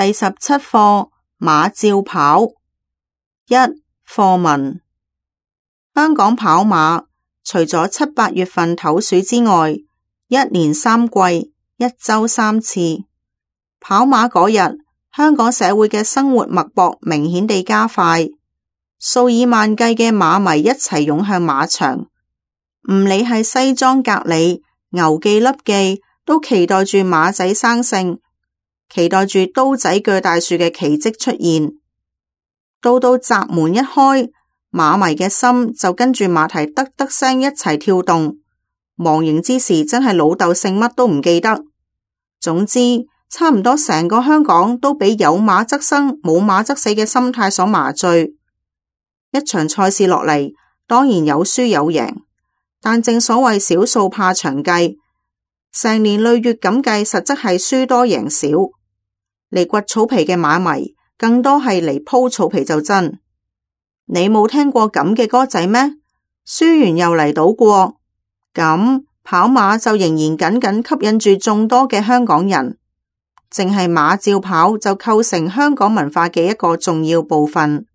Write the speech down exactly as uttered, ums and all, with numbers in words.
第十七課馬照跑。一、課文。香港跑馬除咗七八月份唞暑之外，一年三季，一周三次。跑馬嗰日，香港社會嘅生活脈搏明顯地加快，數以萬計嘅馬迷一齊湧向馬場，唔理係西裝革履、牛記笠記，都期待住馬仔生性，期待住刀仔鋸大樹嘅奇蹟出現。到到閘門一開，馬迷嘅心就跟住馬蹄得得聲一齊跳動，忘形之時真係老豆姓乜都唔記得。總之，差唔多成個香港都俾有馬則生，冇馬則死嘅心態所麻醉。一場賽事落嚟，當然有輸有贏，但正所謂小數怕長計，成年累月咁計，實質係輸多贏少。嚟掘草皮嘅馬迷，更多係嚟鋪草皮就真。你冇聽過咁嘅歌仔咩？輸完又嚟賭過。咁跑馬就仍然緊緊吸引住眾多嘅香港人，淨係馬照跑就構成香港文化嘅一個重要部分。